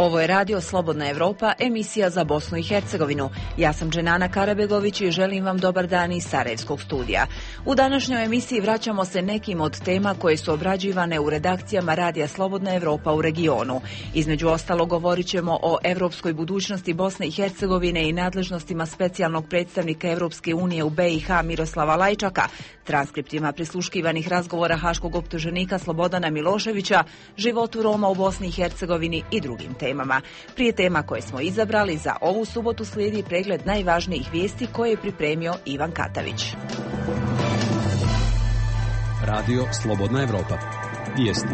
Ovo je Radio Slobodna Evropa, emisija za Bosnu i Hercegovinu. Ja sam Dženana Karabegović i želim vam dobar dan iz Sarajevskog studija. U današnjoj emisiji vraćamo se nekim od tema koje su obrađivane u redakcijama Radija Slobodna Evropa u regionu. Između ostalo govorit ćemo o evropskoj budućnosti Bosne i Hercegovine i nadležnostima specijalnog predstavnika Evropske unije u BiH Miroslava Lajčaka, transkriptima prisluškivanih razgovora haškog optuženika Slobodana Miloševića, životu Roma u Bosni i Hercegovini i drugim temama. Prije tema koje smo izabrali, za ovu subotu slijedi pregled najvažnijih vijesti koje je pripremio Ivan Katavić. Radio Slobodna Evropa. Vijesti.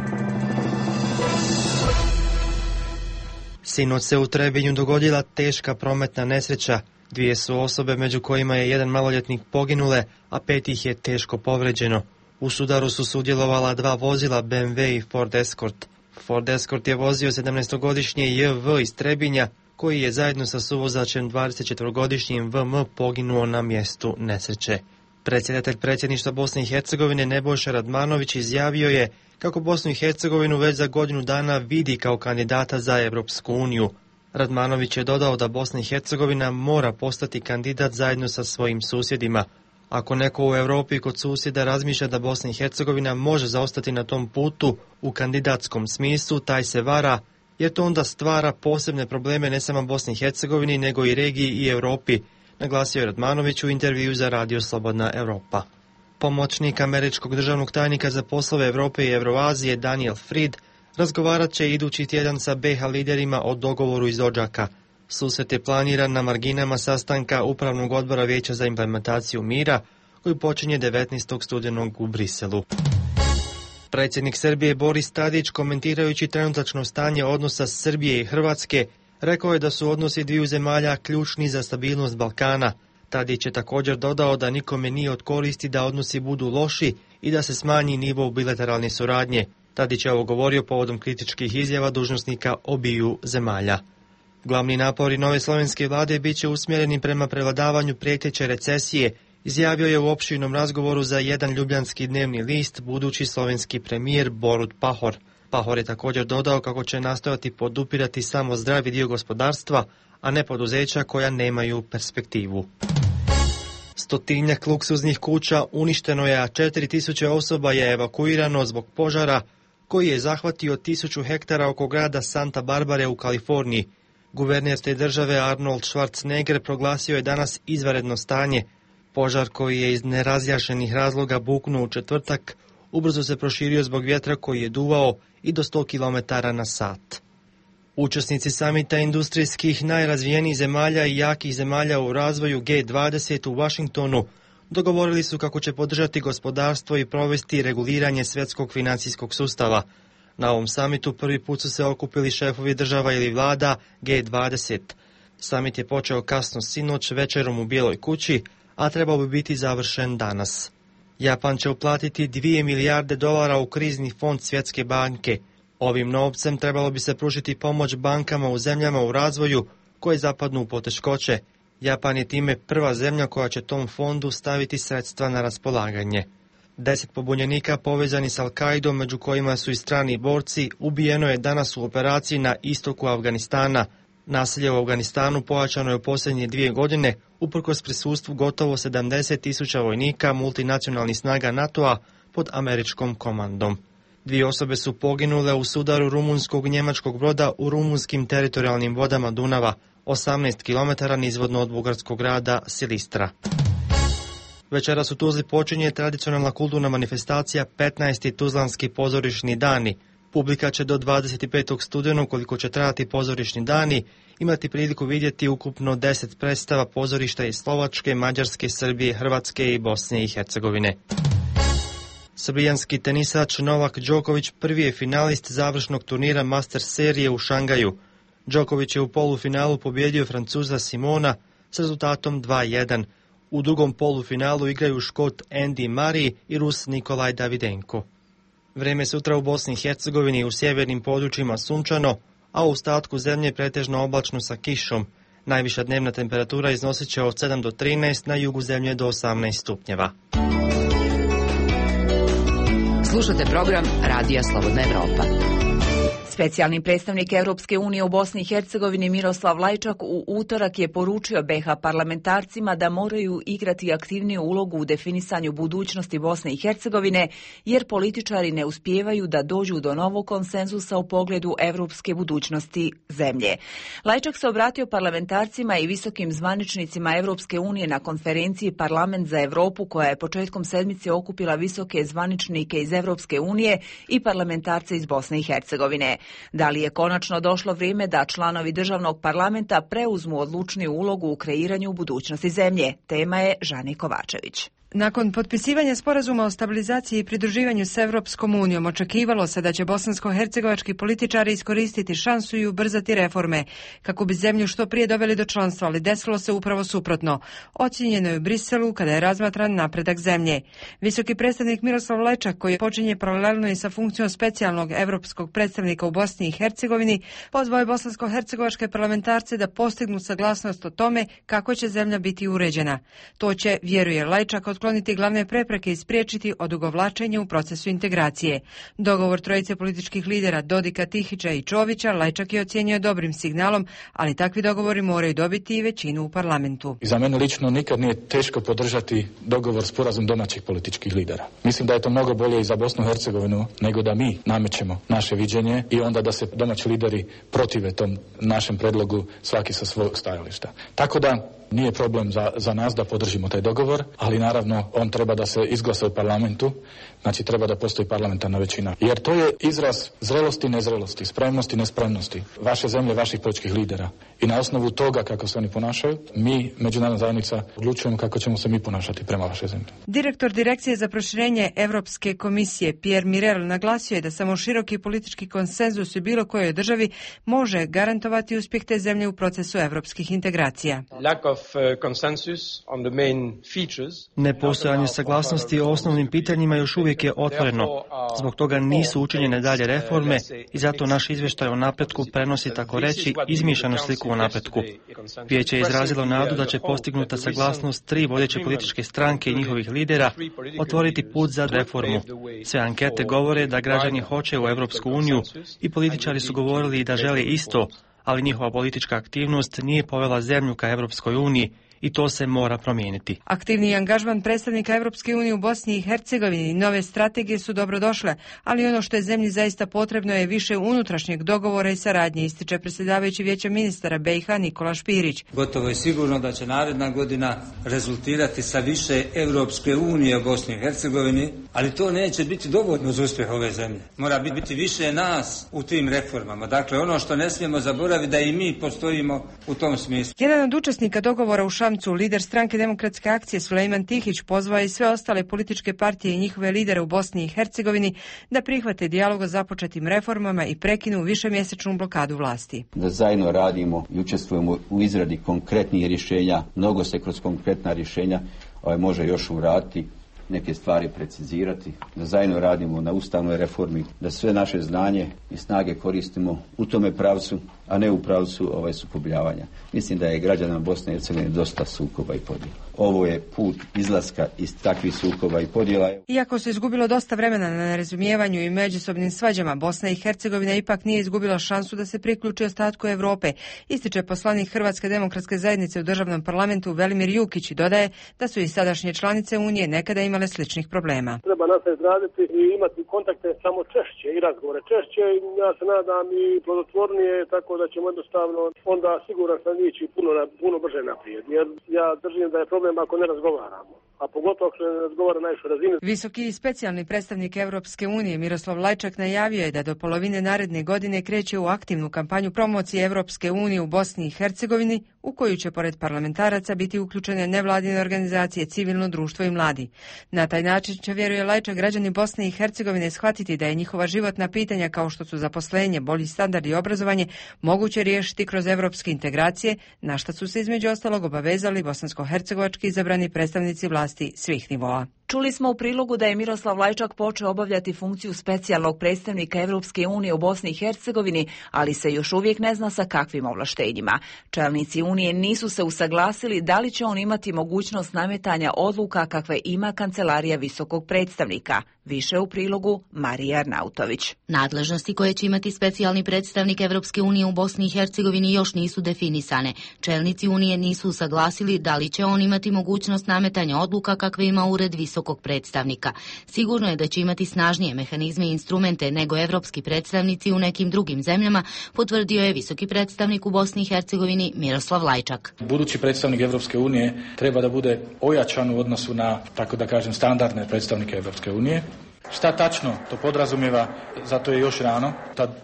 Sinoć se u Trebinju dogodila teška prometna nesreća. 2 su osobe, među kojima je jedan maloljetnik, poginule, a 5 ih je teško povređeno. U sudaru su sudjelovala 2 vozila, BMW i Ford Escort. Ford Escort je vozio 17-godišnji JV iz Trebinja, koji je zajedno sa suvozačem 24-godišnjim VM poginuo na mjestu nesreće. Predsjedatelj predsjedništva Bosne i Hercegovine Nebojša Radmanović izjavio je kako Bosnu i Hercegovinu već za godinu dana vidi kao kandidata za Europsku uniju. Radmanović je dodao da Bosna i Hercegovina mora postati kandidat zajedno sa svojim susjedima. Ako neko u Europi kod susjeda razmišlja da Bosna i Hercegovina može zaostati na tom putu u kandidatskom smislu, taj se vara, jer to onda stvara posebne probleme ne samo Bosni i Hercegovini, nego i regiji i Europi, naglasio je Radmanović u intervju za Radio Slobodna Evropa. Pomoćnik američkog državnog tajnika za poslove Europe i Evroazije Daniel Fried razgovarat će idući tjedan sa BiH liderima o dogovoru iz Odžaka. Susret je planiran na marginama sastanka Upravnog odbora Vijeća za implementaciju mira, koji počinje 19. studenog u Briselu. Predsjednik Srbije Boris Tadić, komentirajući trenutačno stanje odnosa Srbije i Hrvatske, rekao je da su odnosi dviju zemalja ključni za stabilnost Balkana. Tadić je također dodao da nikome nije od koristi da odnosi budu loši i da se smanji nivo bilateralne suradnje. Tadić je ovo govorio povodom kritičkih izjava dužnosnika obiju zemalja. Glavni napori nove slovenske vlade bit će usmjereni prema prevladavanju prijeteće recesije, izjavio je u opširnom razgovoru za jedan ljubljanski dnevni list budući slovenski premijer Borut Pahor. Pahor je također dodao kako će nastojati podupirati samo zdravi dio gospodarstva, a ne poduzeća koja nemaju perspektivu. 100-tinjak luksuznih kuća uništeno je, a 4000 osoba je evakuirano zbog požara koji je zahvatio 1000 hektara oko grada Santa Barbare u Kaliforniji. Guverner te države Arnold Schwarzenegger proglasio je danas izvanredno stanje. Požar koji je iz nerazjašnjenih razloga buknuo u četvrtak ubrzo se proširio zbog vjetra koji je duvao i do 100 km na sat. Učesnici samita industrijskih najrazvijenijih zemalja i jakih zemalja u razvoju G20 u Washingtonu dogovorili su kako će podržati gospodarstvo i provesti reguliranje svjetskog financijskog sustava. Na ovom samitu prvi put su se okupili šefovi država ili vlada G20. Samit je počeo kasno sinoć večerom u Bijeloj kući, a trebao bi biti završen danas. Japan će uplatiti $2 milijarde u krizni fond Svjetske banke. Ovim novcem trebalo bi se pružiti pomoć bankama u zemljama u razvoju koje zapadnu u poteškoće. Japan je time prva zemlja koja će tom fondu staviti sredstva na raspolaganje. 10 pobunjenika povezani s Al-Kaidom, među kojima su i strani borci, ubijeno je danas u operaciji na istoku Afganistana. Nasilje u Afganistanu pojačano je u posljednje 2 godine, uprkos prisustvu gotovo 70.000 vojnika multinacionalnih snaga NATO-a pod američkom komandom. 2 osobe su poginule u sudaru rumunskog njemačkog broda u rumunskim teritorijalnim vodama Dunava, 18 km nizvodno od bugarskog grada Silistra. Večeras u Tuzli počinje tradicionalna kulturna manifestacija 15. Tuzlanski pozorišni dani. Publika će do 25. studenog, koliko će trajati pozorišni dani, imati priliku vidjeti ukupno 10 predstava pozorišta iz Slovačke, Mađarske, Srbije, Hrvatske i Bosne i Hercegovine. Srbijanski tenisač Novak Đoković prvi je finalist završnog turnira Masters serije u Šangaju. Đoković je u polufinalu pobjedio Francuza Simona s rezultatom 2:1. U drugom polufinalu igraju Škot Andy Murray i Rus Nikolaj Davidenko. Vrijeme sutra u Bosni i Hercegovini i u sjevernim područjima sunčano, a u ostatku zemlje pretežno oblačno sa kišom. Najviša dnevna temperatura iznosit će od 7 do 13, na jugu zemlje do 18 stupnjeva. Slušate program Radija Slobodna Evropa. Specijalni predstavnik Europske unije u Bosni i Hercegovini Miroslav Lajčak u utorak je poručio BiH parlamentarcima da moraju igrati aktivniju ulogu u definisanju budućnosti Bosne i Hercegovine, jer političari ne uspijevaju da dođu do novog konsenzusa u pogledu europske budućnosti zemlje. Lajčak se obratio parlamentarcima i visokim zvaničnicima Europske unije na konferenciji Parlament za Europu, koja je početkom sedmice okupila visoke zvaničnike iz Europske unije i parlamentarce iz Bosne i Hercegovine. Da li je konačno došlo vrijeme da članovi državnog parlamenta preuzmu odlučniju ulogu u kreiranju budućnosti zemlje? Tema je Žani Kovačević. Nakon potpisivanja sporazuma o stabilizaciji i pridruživanju s Europskom unijom očekivalo se da će bosansko-hercegovački političari iskoristiti šansu i ubrzati reforme kako bi zemlju što prije doveli do članstva, ali desilo se upravo suprotno. Ocijenjeno je u Briselu kada je razmatran napredak zemlje. Visoki predstavnik Miroslav Lajčak, koji počinje paralelno i sa funkcijom specijalnog europskog predstavnika u Bosni i Hercegovini, pozvao je bosansko-hercegovačke parlamentarce da postignu saglasnost o tome kako će zemlja biti uređena. To će, vjeruje Lajčak, otkloniti glavne prepreke i spriječiti odugovlačenje u procesu integracije. Dogovor trojice političkih lidera Dodika, Tihića i Čovića Lajčak je ocijenio dobrim signalom, ali takvi dogovori moraju dobiti i većinu u parlamentu. Za mene lično nikad nije teško podržati dogovor, sporazum domaćih političkih lidera. Mislim da je to mnogo bolje i za Bosnu i Hercegovinu nego da mi namećemo naše viđenje i onda da se domaći lideri protive tom našem predlogu svaki sa svog stajališta. Tako da nije problem za nas da podržimo taj dogovor, ali naravno on treba da se izglasa u parlamentu, znači treba da postoji parlamentarna većina. Jer to je izraz zrelosti, nezrelosti, spremnosti, nespremnosti vaše zemlje, vaših političkih lidera. I na osnovu toga kako se oni ponašaju, mi, međunarodna zajednica, odlučujemo kako ćemo se mi ponašati prema vašoj zemlji. Direktor Direkcije za proširenje Europske komisije Pierre Mirel naglasio je da samo široki politički konsenzus u bilo kojoj državi može garantovati uspjeh te zemlje u procesu europskih integracija. Nepostojanje saglasnosti o osnovnim pitanjima još uvijek je otvoreno. Zbog toga nisu učinjene dalje reforme i zato naš izvještaj o napretku prenosi, tako reći, izmišljenu sliku o napretku. Vijeće je izrazilo nadu da će postignuta saglasnost 3 vodeće političke stranke i njihovih lidera otvoriti put za reformu. Sve ankete govore da građani hoće u Europsku uniju i političari su govorili da žele isto, ali njihova politička aktivnost nije povela zemlju ka Europskoj uniji i to se mora promijeniti. Aktivni angažman predstavnika Europske unije u Bosni i Hercegovini i nove strategije su dobrodošle, ali ono što je zemlji zaista potrebno je više unutrašnjeg dogovora i saradnje, ističe predsjedavajući Vijeća ministara BiH Nikola Špirić. Gotovo je sigurno da će naredna godina rezultirati sa više Europske unije u Bosni i Hercegovini, ali to neće biti dovoljno za uspjeh ove zemlje. Mora biti više nas u tim reformama. Dakle, ono što ne smijemo zaboraviti da i mi postojimo u tom smislu. Jedan od učesnika dogovora u Šamcu, lider stranke Demokratske akcije Sulejman Tihić, pozvao i sve ostale političke partije i njihove lidere u Bosni i Hercegovini da prihvate dijalog o započetim reformama i prekinu višemjesečnu blokadu vlasti. Da zajedno radimo i učestvujemo u izradi konkretnih rješenja, mnogo se kroz konkretna rješenja može još uraditi, neke stvari precizirati, da zajedno radimo na ustavnoj reformi, da sve naše znanje i snage koristimo u tome pravcu, a ne u pravcu sukobljavanja. Mislim da je građanima Bosne i Hercegovine dosta sukoba i podjela. Ovo je put izlaska iz takvih sukoba i podjela. Iako se izgubilo dosta vremena na nerazumijevanju i međusobnim svađama, Bosna i Hercegovina ipak nije izgubila šansu da se priključi ostatku Europe, ističe poslanik Hrvatske demokratske zajednice u državnom parlamentu Velimir Jukić i dodaje da su i sadašnje članice Unije nekada imale sličnih problema. Treba nastaviti raditi i imati kontakte samo češće i razgovore češće. Ja se nadam i plodotvornije, tako da ćemo jednostavno onda siguran sam ići puno brže naprijed. Jer ja držim da je problem ako ne razgovaramo, a pogotovo ako se ne razgovara na najvišoj razini. Visoki i specijalni predstavnik Europske unije Miroslav Lajčak najavio je da do polovine naredne godine kreće u aktivnu kampanju promocije Europske unije u Bosni i Hercegovini, u koju će pored parlamentaraca biti uključene nevladine organizacije, civilno društvo i mladi. Na taj način će, vjeruje Lajčak, građani Bosne i Hercegovine shvatiti da je njihova životna pitanja kao što su zaposlenje, bolji standard i obrazovanje moguće riješiti kroz europske integracije, na što su se između ostalog obavezali bosansko-hercegovački izabrani predstavnici vlasti svih nivoa. Čuli smo u prilogu da je Miroslav Lajčak počeo obavljati funkciju specijalnog predstavnika Europske unije u Bosni i Hercegovini, ali se još uvijek ne zna sa kakvim ovlaštenjima. Čelnici Unije nisu se usaglasili da li će on imati mogućnost nametanja odluka kakve ima Kancelarija visokog predstavnika. Više u prilogu Marija Arnautović. Nadležnosti koje će imati specijalni predstavnik Evropske unije u Bosni i Hercegovini još nisu definisane. Čelnici Unije nisu usaglasili da li će on imati mogućnost nametanja odluka kakve ima Ured visokog predstavnika. Sigurno je da će imati snažnije mehanizme i instrumente nego evropski predstavnici u nekim drugim zemljama, potvrdio je visoki predstavnik u Bosni i Hercegovini Miroslav Lajčak. Budući predstavnik Evropske unije treba da bude ojačan u odnosu na, tako da kažem, standardne predstavnike Evropske unije. Šta tačno to podrazumijeva, zato je još rano,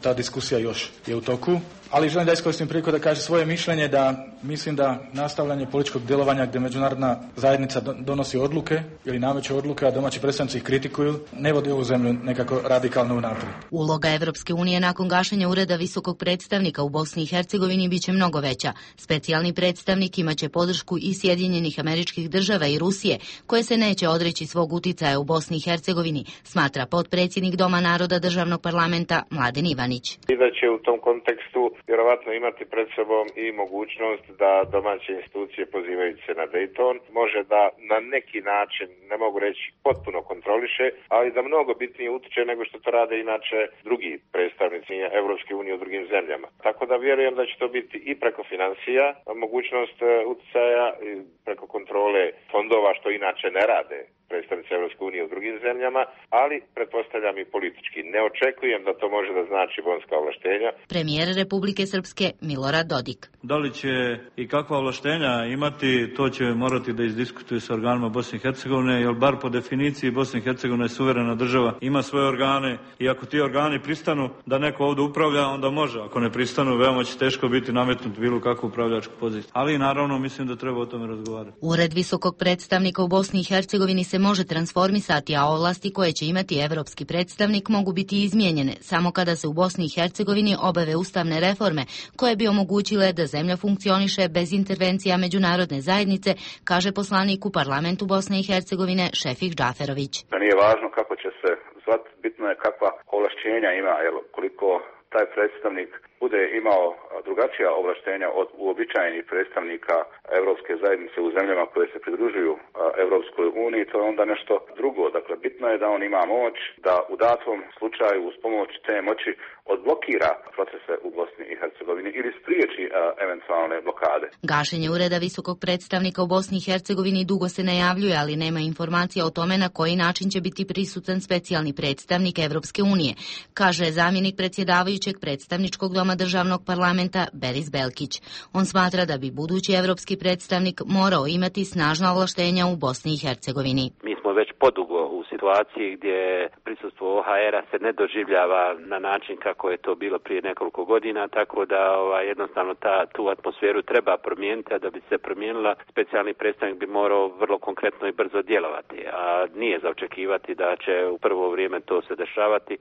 ta diskusija još je u toku, ali želim da iskoristim priliku da kažem svoje mišljenje da mislim da nastavljanje političkog djelovanja gdje međunarodna zajednica donosi odluke ili nameće odluke, a domaći predstavnici ih kritikuju, ne vodi ovu zemlju nekako radikalno unaprijed. Uloga Evropske unije nakon gašenja Ureda visokog predstavnika u Bosni i Hercegovini biće mnogo veća. Specijalni predstavnik imaće podršku i Sjedinjenih Američkih Država i Rusije, koje se neće odreći svog uticaja u Bosni i Hercegovini, smatra potpredsjednik Doma naroda državnog parlamenta Mladen Ivanić. I da će u tom kontekstu vjerovatno imati pred sobom i mogućnost da domaće institucije pozivajući se na Dayton može da na neki način, ne mogu reći potpuno kontroliše, ali da mnogo bitnije utiče nego što to rade inače drugi predstavnici Evropske unije u drugim zemljama. Tako da vjerujem da će to biti i preko financija, mogućnost uticaja, preko kontrole fondova što inače ne rade predstavnici Evropske unije u drugim zemljama, ali pretpostavljam i politički. Ne očekujem da to može da znači bonska ovlaštenja. Premijer Republike Srpske Milorad Dodik. Da li će i kakva ovlaštenja imati, to će morati da izdiskutuju sa organima Bosne i Hercegovine, jer bar po definiciji Bosna i Hercegovina je suverena država, ima svoje organe i ako ti organi pristanu da neko ovdje upravlja, onda može. Ako ne pristanu, veoma će teško biti nametnut bilo kakvu upravljačku poziciju. Ali naravno mislim da treba o tome razgovarati. Ured visokog predstavnika u Bosni i Hercegovini se može transformisati, a ovlasti koje će imati evropski predstavnik mogu biti izmijenjene samo kada se u Bosni i Hercegovini obave ustavne reforme koje bi omogućile da zemlja funkcioniše bez intervencija međunarodne zajednice, kaže poslanik u parlamentu Bosne i Hercegovine Šefik Džaferović. Da nije važno kako će se zvati, bitno je kakva ovlašćenja ima, jer koliko taj predstavnik bude imao drugačija ovlaštenja od uobičajenih predstavnika Europske zajednice u zemljama koje se pridružuju Europskoj uniji, to je onda nešto drugo. Dakle, bitno je da on ima moć da u datom slučaju uz pomoć te moći odblokira procese u Bosni i Hercegovini ili spriječi eventualne blokade. Gašenje Ureda visokog predstavnika u Bosni i Hercegovini dugo se najavljuje, ali nema informacija o tome na koji način će biti prisutan specijalni predstavnik Evropske unije, kaže zamjenik predsjedavajućeg predstavničkog doma državnog parlamenta Beris Belkić. On smatra da bi budući evropski predstavnik morao imati snažna ovlaštenja u Bosni i Hercegovini. Mi smo već podugo u situaciji gdje prisustvo OHR-a se ne doživljava na način kako je to bilo prije nekoliko godina, tako da jednostavno tu atmosferu treba promijeniti, a da bi se promijenila, specijalni predstavnik bi morao vrlo konkretno i brzo djelovati, a nije za očekivati da će u prvo vrijeme to se dešavati.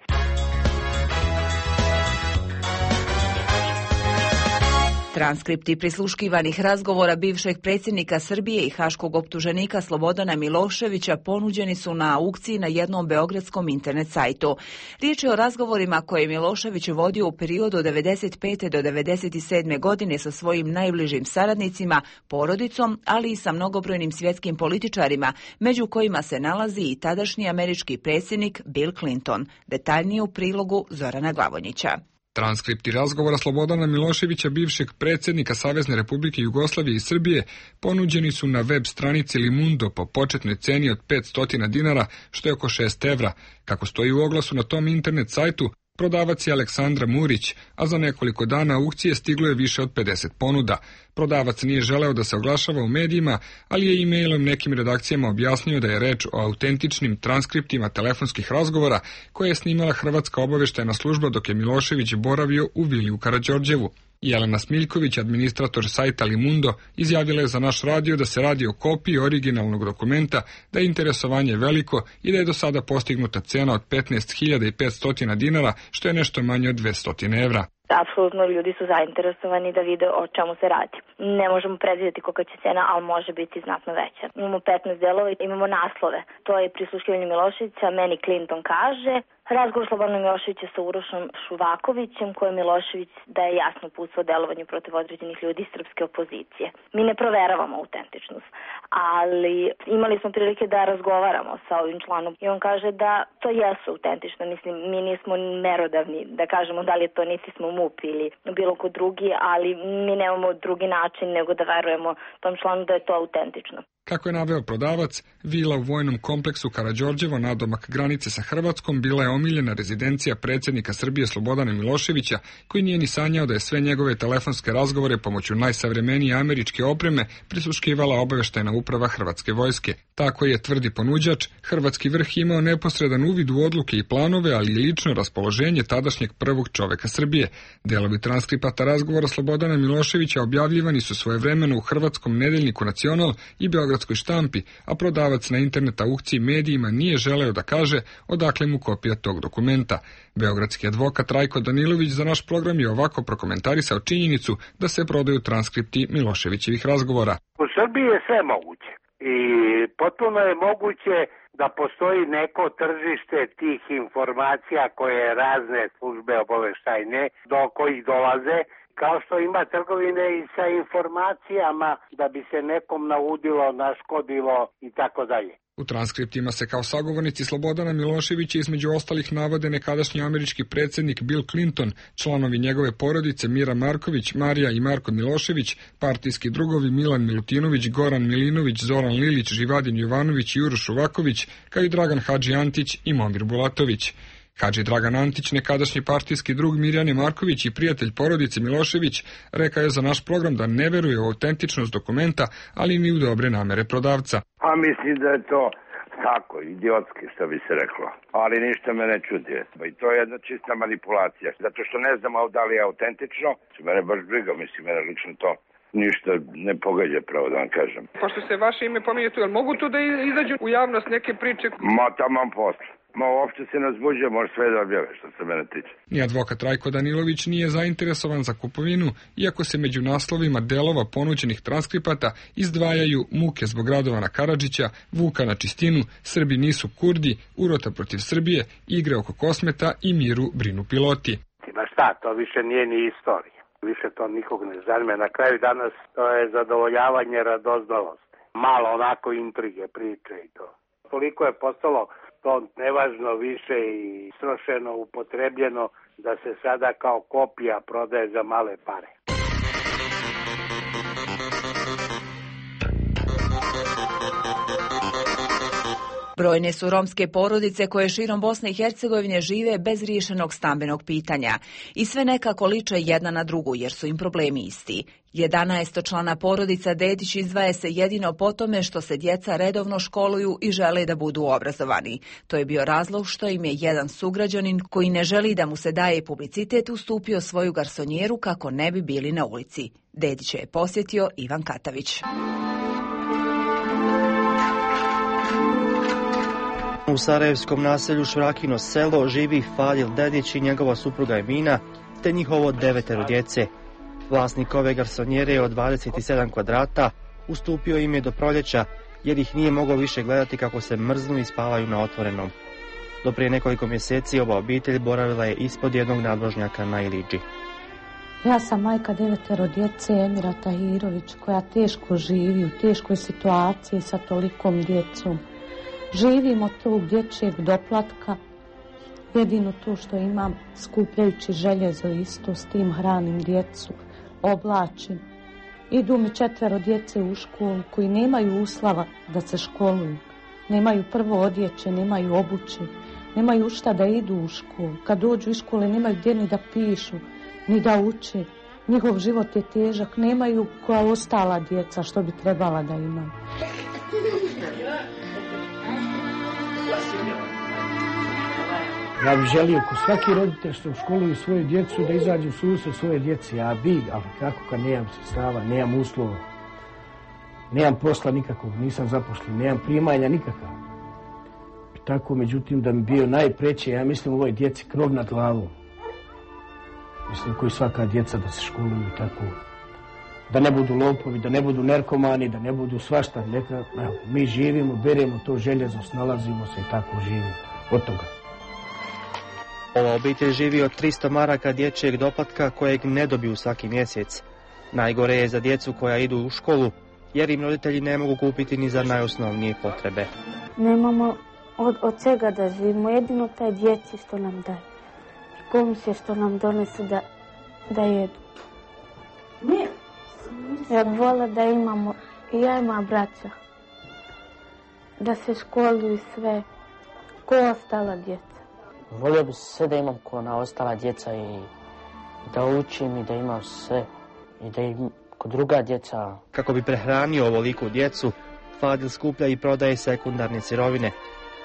Transkripti prisluškivanih razgovora bivšeg predsjednika Srbije i haškog optuženika Slobodana Miloševića ponuđeni su na aukciji na jednom beogradskom internet sajtu. Riječ je o razgovorima koje je Milošević vodio u periodu od 1995. do 1997. godine sa svojim najbližim saradnicima, porodicom, ali i sa mnogobrojnim svjetskim političarima, među kojima se nalazi i tadašnji američki predsjednik Bill Clinton. Detaljnije u prilogu Zorana Glavonjića. Transkripti razgovora Slobodana Miloševića, bivšeg predsjednika Savezne Republike Jugoslavije i Srbije, ponuđeni su na web stranici Limundo po početnoj ceni od 500 dinara, što je oko 6 evra. Kako stoji u oglasu na tom internet sajtu, prodavac je Aleksandra Murić, a za nekoliko dana aukcije stiglo je više od 50 ponuda. Prodavac nije želeo da se oglašava u medijima, ali je e-mailom nekim redakcijama objasnio da je reč o autentičnim transkriptima telefonskih razgovora koje je snimala Hrvatska obavještajna služba dok je Milošević boravio u vili u Karađorđevu. Jelena Smiljković, administrator sajta Limundo, izjavila je za naš radio da se radi o kopiji originalnog dokumenta, da je interesovanje veliko i da je do sada postignuta cena od 15.500 dinara, što je nešto manje od 200 evra. Apsolutno ljudi su zainteresovani da vide o čemu se radi. Ne možemo predvidjeti kolika će cena, ali može biti znatno veća. Imamo 15 delova i imamo naslove. To je prisluškivanje Miloševića, meni Clinton kaže, razgovor Slobodana Miloševića sa Urošom Šuvakovićem, koje Milošević daje jasno uputstvo o delovanju protiv određenih ljudi iz srpske opozicije. Mi ne proveravamo autentičnost, ali imali smo prilike da razgovaramo sa ovim članom i on kaže da to jesu autentično. Mislim, mi nismo merodavni da kažemo da li je to, niti smo MUP ili bilo ko drugi, ali mi nemamo drugi način nego da verujemo tom članu da je to autentično. Kako je naveo prodavac, vila u vojnom kompleksu Karađorđevo nadomak granice sa Hrvatskom bila je omiljena rezidencija predsjednika Srbije Slobodana Miloševića, koji nije ni sanjao da je sve njegove telefonske razgovore pomoću najsavremenije američke opreme prisluškivala obavještajna uprava Hrvatske vojske. Tako je, tvrdi ponuđač, hrvatski vrh imao neposredan uvid u odluke i planove, ali i lično raspoloženje tadašnjeg prvog čoveka Srbije. Delovi transkripata razgovora Slobodana Miloševića objavljivani su svojevremeno u hrvatskom nedeljniku Nacional i beogradskoj štampi, a prodavac na internet aukciji medijima nije želeo da kaže odakle mu kopija tog dokumenta. Beogradski advokat Rajko Danilović za naš program je ovako prokomentarisao činjenicu da se prodaju transkripti Miloševićevih razgovora. U Srbiji je sve moguće i potpuno je moguće da postoji neko tržište tih informacija koje razne službe obaveštajne do kojih dolaze, kao što ima trgovine i sa informacijama da bi se nekom naudilo, naškodilo i tako dalje. U transkriptima se kao sagovornici Slobodana Miloševića između ostalih navode nekadašnji američki predsjednik Bill Clinton, članovi njegove porodice Mira Marković, Marija i Marko Milošević, partijski drugovi Milan Milutinović, Goran Milinović, Zoran Lilić, Živadin Jovanović i Uroš Šuvaković, kao i Dragan Hadži Antić i Momir Bulatović. Hadži Dragan Antić, nekadašnji partijski drug Mirjane Marković i prijatelj porodice Milošević, rekao je za naš program da ne veruje u autentičnost dokumenta, ali ni u dobre namere prodavca. A mislim da je to tako, idiotski, što bi se reklo. Ali ništa me ne čudi. I to je jedna čista manipulacija. Zato što ne znam da li je autentično, mene baš briga, mislim, mene lično to ništa ne pogađa, pravo da vam kažem. Pošto se vaše ime pominje tu, jel mogu tu da izađu u javnost neke priče? Ma taman posle. Uopšte se ne zbuđuje, može sve da objave što se mene tiče. Ni advokat Rajko Danilović nije zainteresovan za kupovinu, iako se među naslovima delova ponuđenih transkripata izdvajaju Muke zbog Radovana Karadžića, Vuka na čistinu, Srbi nisu Kurdi, Urota protiv Srbije, Igre oko Kosmeta i Miru brinu piloti. Ma šta, to više nije ni istorija. Više to nikog ne zanima. Na kraju danas to je zadovoljavanje radoznalosti. Malo onako intrige, priče i to. Toliko je postalo to nevažno više i strošeno, upotrebljeno, da se sada kao kopija prodaje za male pare. Brojne su romske porodice koje širom Bosne i Hercegovine žive bez riješenog stambenog pitanja i sve nekako liče jedna na drugu jer su im problemi isti. 11-člana porodica Dedić izdvaja se jedino po tome što se djeca redovno školuju i žele da budu obrazovani. To je bio razlog što im je jedan sugrađanin koji ne želi da mu se daje publicitet ustupio svoju garsonjeru kako ne bi bili na ulici. Dedića je posjetio Ivan Katavić. U sarajevskom naselju Švrakino selo živi Fadil Dedić i njegova supruga Emina, te njihovo 9 djece. Vlasnik ove garsonjere od 27 kvadrata ustupio im je do proljeća, jer ih nije mogao više gledati kako se mrznu i spavaju na otvorenom. Do prije nekoliko mjeseci ova obitelj boravila je ispod jednog nadvožnjaka na Iliđi. Ja sam majka 9 djece, Emira Tahirović, koja teško živi, u teškoj situaciji sa tolikom djecom. Živim od tog dječjeg doplatka, jedino to što imam, skupljajući željezo isto, s tim hranim djecu, oblačim. Idu mi 4 djece u školu koji nemaju uslova da se školuju. Nemaju prvo odjeće, nemaju obuće, nemaju šta da idu u školu. Kad dođu iz škole nemaju gdje ni da pišu, ni da uče. Njihov život je težak, nemaju koja ostala djeca što bi trebala da imaju. Ja bih želio ko svaki roditelj što školuju svoju djecu da izađu u susret svoje djece, ali kako kad nemam sredstava, nemam uslova, nemam posla nikakvog, nisam zaposlen, nemam primanja nikakav. Tako, međutim, da mi bio najpreće, ja mislim, ovoj djeci krov nad glavom. Mislim, koji svaka djeca da se školuju tako. Da ne budu lopovi, da ne budu narkomani, da ne budu svašta. Neka, evo, mi živimo, beremo to željezo, snalazimo se i tako živimo. Od toga. Ova obitelj živi od 300 maraka dječjeg doplatka kojeg ne dobiju svaki mjesec. Najgore je za djecu koja idu u školu, jer im roditelji ne mogu kupiti ni za najosnovnije potrebe. Nemamo od čega da živimo, jedino taj djeci što nam daje. Komisije što nam donese da jedu. Ja bih volila da imamo, i ja i moja braća, da se školuju sve, ko ostala djeca. Volio bi sve da imam ko na ostala djeca i da učim i da imam sve i da im ko druga djeca. Kako bi prehranio ovoliku djecu, Fadil skuplja i prodaje sekundarne sirovine.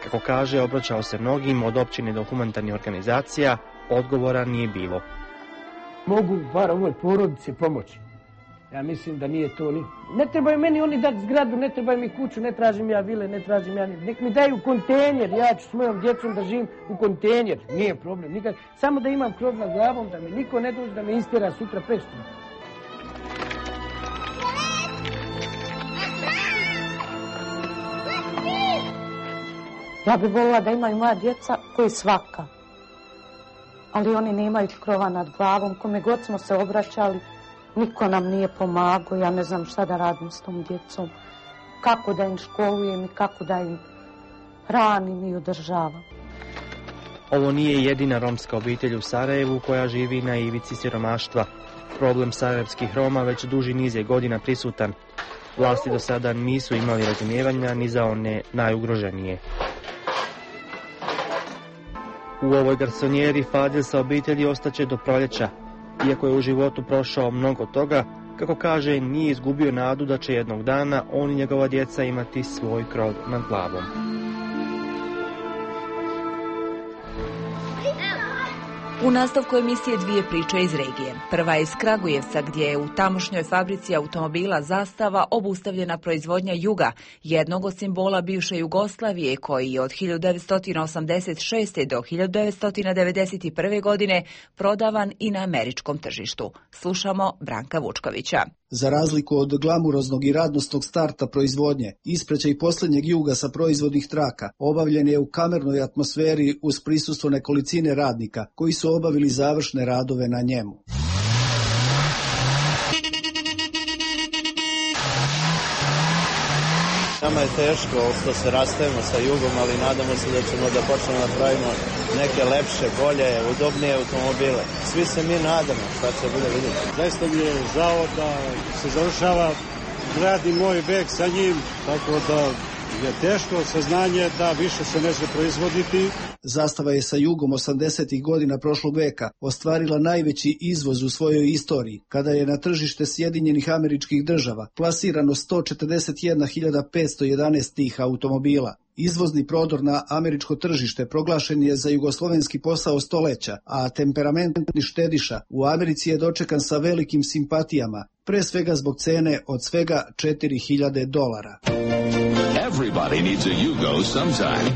Kako kaže, obraćao se mnogim od općine do humanitarnih organizacija, odgovora nije bilo. Mogu bar ovoj porodici pomoći. Ja mislim da nije to ni... Ne trebaju meni oni dati zgradu, ne trebaju mi kuću, ne tražim ja vile, ne tražim ja... Nek mi daju kontejner, ja ću s mojom djecom da živim u kontejner, nije problem nikad. Samo da imam krov nad glavom, da mi niko ne dođe da me istjera sutra presutra. Ja bih volila da imaju moja djeca koji svaka. Ali oni nemaju krova nad glavom, kome god smo se obraćali, niko nam nije pomagao, ja ne znam šta da radim s tom djecom, kako da im školujem i kako da im hranim i održavam. Ovo nije jedina romska obitelj u Sarajevu koja živi na ivici siromaštva. Problem sarajevskih Roma već duži niz je godina prisutan. Vlasti do sada nisu imali razumijevanja ni za one najugroženije. U ovoj garsonjeri Fadil sa obitelji ostaće do proljeća. Iako je u životu prošao mnogo toga, kako kaže, nije izgubio nadu da će jednog dana on i njegova djeca imati svoj krov nad glavom. U nastavku emisije dvije priče iz regije. Prva je iz Kragujevca, gdje je u tamošnjoj fabrici automobila Zastava obustavljena proizvodnja Juga, jednog od simbola bivše Jugoslavije, koji je od 1986. do 1991. godine prodavan i na američkom tržištu. Slušamo Branka Vučkovića. Za razliku od glamuroznog i radnosnog starta proizvodnje, ispraćaj posljednjeg Juga sa proizvodnih traka obavljen je u kamernoj atmosferi uz prisustvo nekolicine radnika koji su obavili završne radove na njemu. Nama je teško što se rastajemo sa Jugom, ali nadamo se da ćemo da počnemo da pravimo neke lepše, bolje, udobnije automobile. Svi se mi nadamo, šta će bude vidjeti. Zaista mi je žao da se završava grad i moj vek sa njim, tako da je teško saznanje da više se neće proizvoditi. Zastava je sa Jugom 80. godina prošlog veka ostvarila najveći izvoz u svojoj istoriji, kada je na tržište Sjedinjenih Američkih Država plasirano 141.511 tih automobila. Izvozni prodor na američko tržište proglašen je za jugoslovenski posao stoljeća, a temperamentni štediša u Americi je dočekan sa velikim simpatijama, pre svega zbog cene od svega $4.000. Everybody needs a Yugo sometime.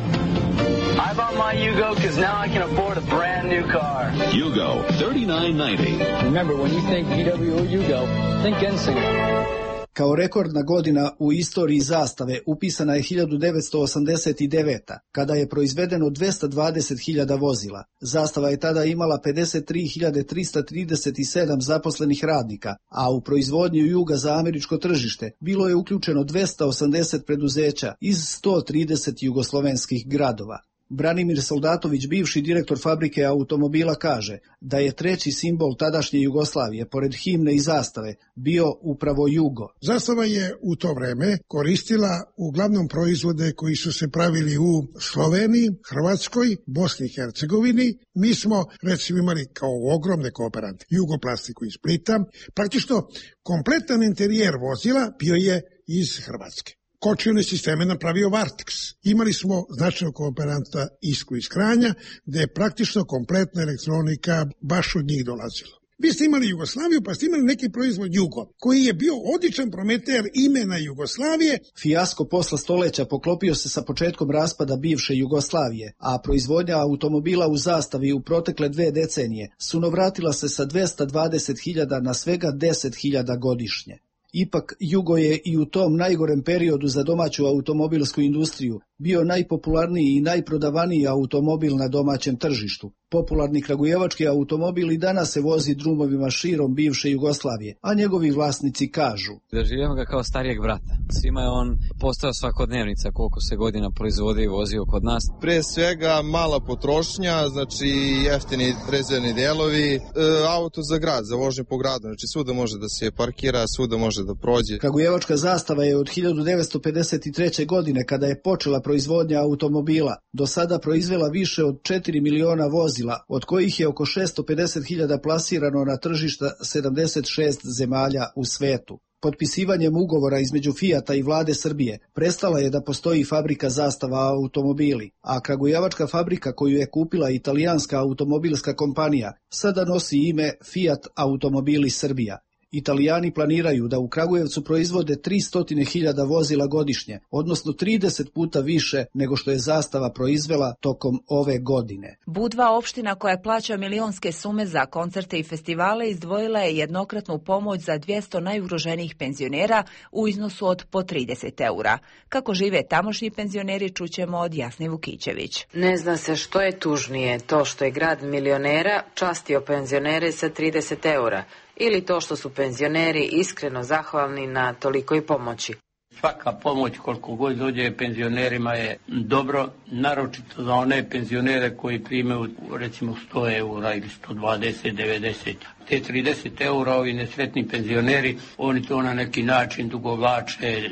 I bought my Yugo because now I can afford a brand new car. Yugo, $39.90. Remember, when you think VW or Yugo, think NSYNC. Kao rekordna godina u istoriji Zastave upisana je 1989. kada je proizvedeno 220.000 vozila. Zastava je tada imala 53.337 zaposlenih radnika, a u proizvodnju Juga za američko tržište bilo je uključeno 280 preduzeća iz 130 jugoslovenskih gradova. Branimir Soldatović, bivši direktor fabrike automobila, kaže da je treći simbol tadašnje Jugoslavije, pored himne i zastave, bio upravo Jugo. Zastava je u to vreme koristila uglavnom proizvode koji su se pravili u Sloveniji, Hrvatskoj, Bosni i Hercegovini. Mi smo, recimo, imali kao ogromne kooperante Jugoplastiku iz Splita. Praktično, kompletan interijer vozila bio je iz Hrvatske. Kočione sisteme napravio Vartex. Imali smo značajnog kooperanta Isku iz Kranja, gde je praktično kompletna elektronika baš od njih dolazila. Vi ste imali Jugoslaviju, pa ste imali neki proizvod Jugo, koji je bio odličan prometer imena Jugoslavije. Fijasko posla stoleća poklopio se sa početkom raspada bivše Jugoslavije, a proizvodnja automobila u zastavi u protekle 2 decenije sunovratila se sa 220.000 na svega 10.000 godišnje. Ipak, Jugo je i u tom najgorem periodu za domaću automobilsku industriju bio najpopularniji i najprodavaniji automobil na domaćem tržištu. Popularni kragujevački automobil i danas se vozi drumovima širom bivše Jugoslavije, a njegovi vlasnici kažu: Doživljamo ga kao starijeg brata. Svima je on postao svakodnevnica koliko se godina proizvodi i vozio kod nas. Pre svega mala potrošnja, znači jeftini rezervni delovi, auto za grad, za vožnju po gradu, znači svuda može da se parkira, svuda može da prođe. Kragujevačka zastava je od 1953. godine, kada je počela proizvodnja automobila, do sada proizvela više od 4 miliona vozila, od kojih je oko 650.000 plasirano na tržišta 76 zemalja u svetu. Potpisivanjem ugovora između Fijata i vlade Srbije prestala je da postoji fabrika Zastava automobili, a kragujevačka fabrika koju je kupila italijanska automobilska kompanija sada nosi ime Fiat Automobili Srbija. Italijani planiraju da u Kragujevcu proizvode 300.000 vozila godišnje, odnosno 30 puta više nego što je Zastava proizvela tokom ove godine. Budva, opština koja plaća milionske sume za koncerte i festivale, izdvojila je jednokratnu pomoć za 200 najugroženijih penzionera u iznosu od po 30 eura. Kako žive tamošnji penzioneri, čućemo od Jasne Vukićević. Ne zna se što je tužnije, to što je grad milionera častio penzionere sa 30 eura, ili to što su penzioneri iskreno zahvalni na tolikoj pomoći. Svaka pomoć koliko god dođe penzionerima je dobro, naročito za one penzionere koji primaju recimo 100 eura ili 120, 90. Te 30 eura ovi nesretni penzioneri, oni to na neki način dugovlače,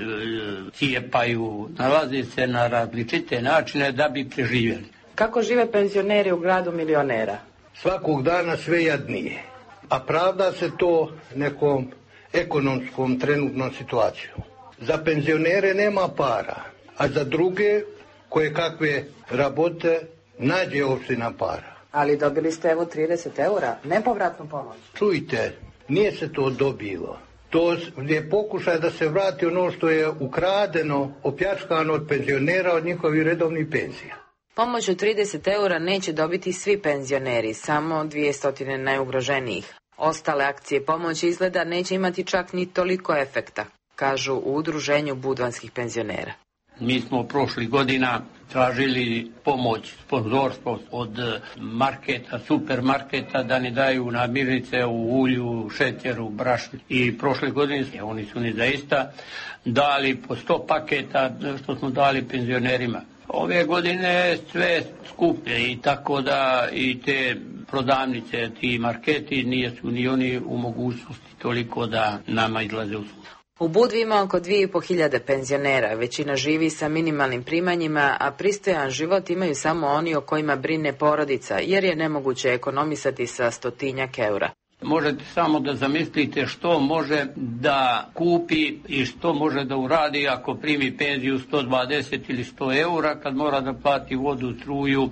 cijepaju, nalaze se na različite načine da bi preživjeli. Kako žive penzioneri u gradu milionera? Svakog dana sve jadnije. A pravda se to nekom ekonomskom trenutnom situacijom. Za penzionere nema para, a za druge koje kakve rabote nađe opština para. Ali dobili ste evo 30 eura, nepovratnu pomoć. Čujte, nije se to dobilo. To je pokušaj da se vrati ono što je ukradeno, opljačkano od penzionera, od njihovih redovnih penzija. Pomoć od 30 eura neće dobiti svi penzioneri, samo 200 najugroženijih. Ostale akcije pomoći izgleda neće imati čak ni toliko efekta, kažu u udruženju budvanskih penzionera. Mi smo prošlih godina tražili pomoć, sponzorstvo od marketa, supermarketa da ne daju namirnice u ulju, šećeru, brašnu. I prošle godine oni su ni zaista dali po 100 paketa što smo dali penzionerima. Ove godine sve skuplje i tako da i te prodavnice, ti marketi nisu ni oni u mogućnosti toliko da nama izlaze u susret. U Budvi ima oko 2.500 penzionera, većina živi sa minimalnim primanjima, a pristojan život imaju samo oni o kojima brine porodica, jer je nemoguće ekonomisati sa 100 eura. Možete samo da zamislite što može da kupi i što može da uradi ako primi penziju 120 ili 100 eura, kad mora da plati vodu, struju,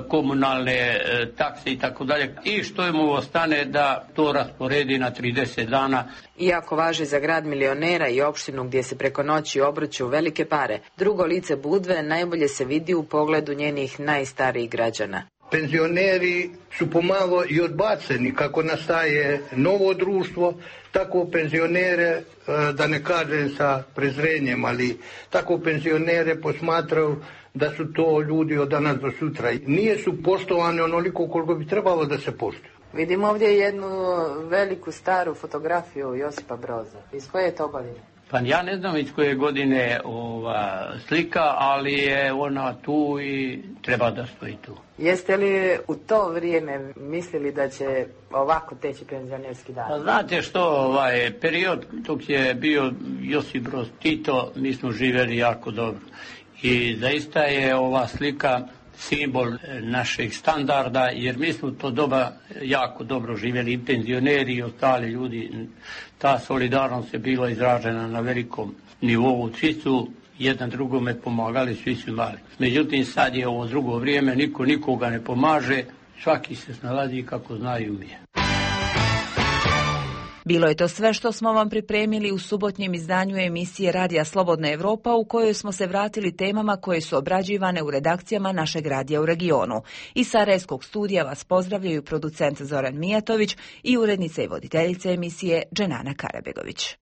komunalne takse i tako dalje. I što mu ostane da to rasporedi na 30 dana. Iako važi za grad milionera i opštinu gdje se preko noći obrću velike pare, drugo lice Budve najbolje se vidi u pogledu njenih najstarijih građana. Penzioneri su pomalo i odbaceni kako nastaje novo društvo, tako penzionere, da ne kažem sa prezrenjem, ali tako penzionere posmatraju da su to ljudi od danas do sutra. Nije su poštovane onoliko koliko bi trebalo da se poštuju. Vidimo ovdje jednu veliku staru fotografiju Josipa Broza. Iz koje je to godine? Pa ja ne znam iz koje godine ova slika, ali je ona tu i treba da stoji tu. Jeste li u to vrijeme mislili da će ovako teći penzionerski dan? Pa znate što, period dok je bio Josip Broz Tito, mi smo živjeli jako dobro. I zaista je ova slika simbol našeg standarda, jer mi smo to doba jako dobro živjeli, i penzioneri i ostali ljudi. Ta solidarnost je bila izražena na velikom nivou. Svi su jedan drugome pomagali, svi su imali. Međutim, sad je ovo drugo vrijeme, niko nikoga ne pomaže, svaki se snalazi kako zna i umije. Bilo je to sve što smo vam pripremili u subotnjem izdanju emisije Radija Slobodna Evropa, u kojoj smo se vratili temama koje su obrađivane u redakcijama našeg radija u regionu. Iz Sarajevskog studija vas pozdravljaju producent Zoran Mijatović i urednica i voditeljica emisije Dženana Karabegović.